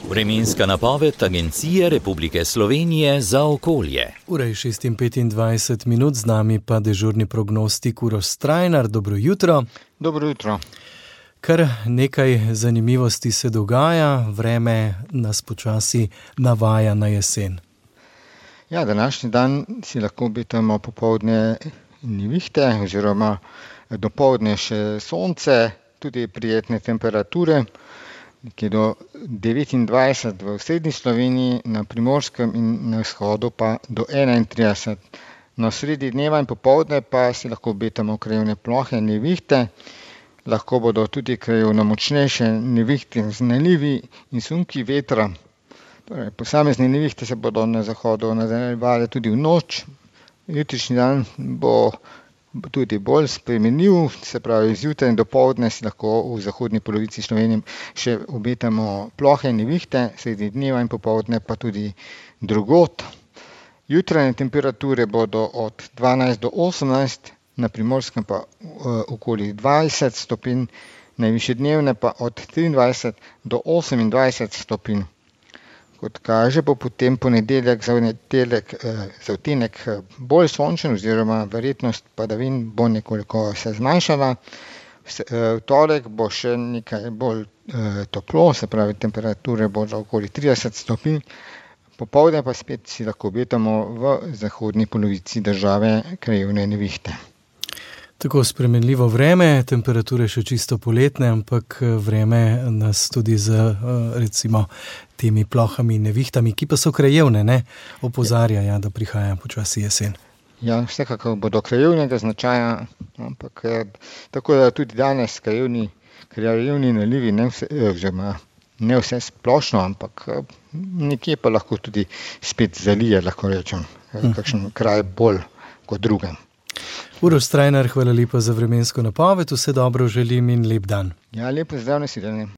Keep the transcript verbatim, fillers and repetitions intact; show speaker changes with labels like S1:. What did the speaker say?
S1: Vremenska napoved Agencije Republike Slovenije za okolje.
S2: Ura je šest in petindvajset minut, z nami pa dežurni prognostik Uroš Strajnar. Dobro jutro.
S3: Dobro jutro.
S2: Kar nekaj zanimivosti se dogaja, vreme nas počasi navaja na jesen.
S3: Ja, današnji dan si lahko obetamo popoldne nevihte oziroma dopoldne še sonce, tudi prijetne temperature, nekje do devetindvajset v osrednji Sloveniji, na Primorskem in na vzhodu pa do enaintrideset. Na sredi dneva in popoldne pa si lahko obetamo krajevne plohe nevihte, lahko bodo tudi krajevno močnejše nevihte z nalivi in sunki vetra. Torej, posamezne nevihte se bodo na zahodu nadaljevale tudi v noč. Jutrišnji dan bo tudi bolj spremenljiv, se pravi zjutraj in dopoldne si lahko v zahodni polovici Slovenije še obetamo plohe nevihte, sredi dneva in popoldne pa tudi drugod. Jutranje temperature bodo od dvanajst do osemnajst, na Primorskem pa uh, okoli dvajset stopinj, najvišje dnevne pa od triindvajset do osemindvajset stopinj. Kot kaže, bo potem ponedeljek za nedeljek eh, za odtenek bolj sončen oziroma verjetnost padavin bo nekoliko se zmanjšala. V torek bo še nekaj bolj eh, toplo, se pravi temperature bodo okoli trideset stopinj, popoldne pa spet si lahko obetamo v zahodni polovici države krajevne nevihte.
S2: Tako spremenljivo vreme, temperature še čisto poletne, ampak vreme nas tudi z recimo temi plohami in nevihtami, ki pa so krajevne, ne, opozarja, ja, da prihaja počasi jesen.
S3: Ja, vsekakor bodo krajevnega značaja, ampak tako da tudi danes krajevni, krajevni nalivi ne vse, oziroma ne vse splošno, ampak nekje pa lahko tudi spet zalije, lahko rečem, kakšen kraj bolj kot drugem.
S2: Uroš Strajnar, hvala lepa za vremensko napoved, vse dobro želim in lep dan.
S3: Ja, lep pozdrav, nasvidenje.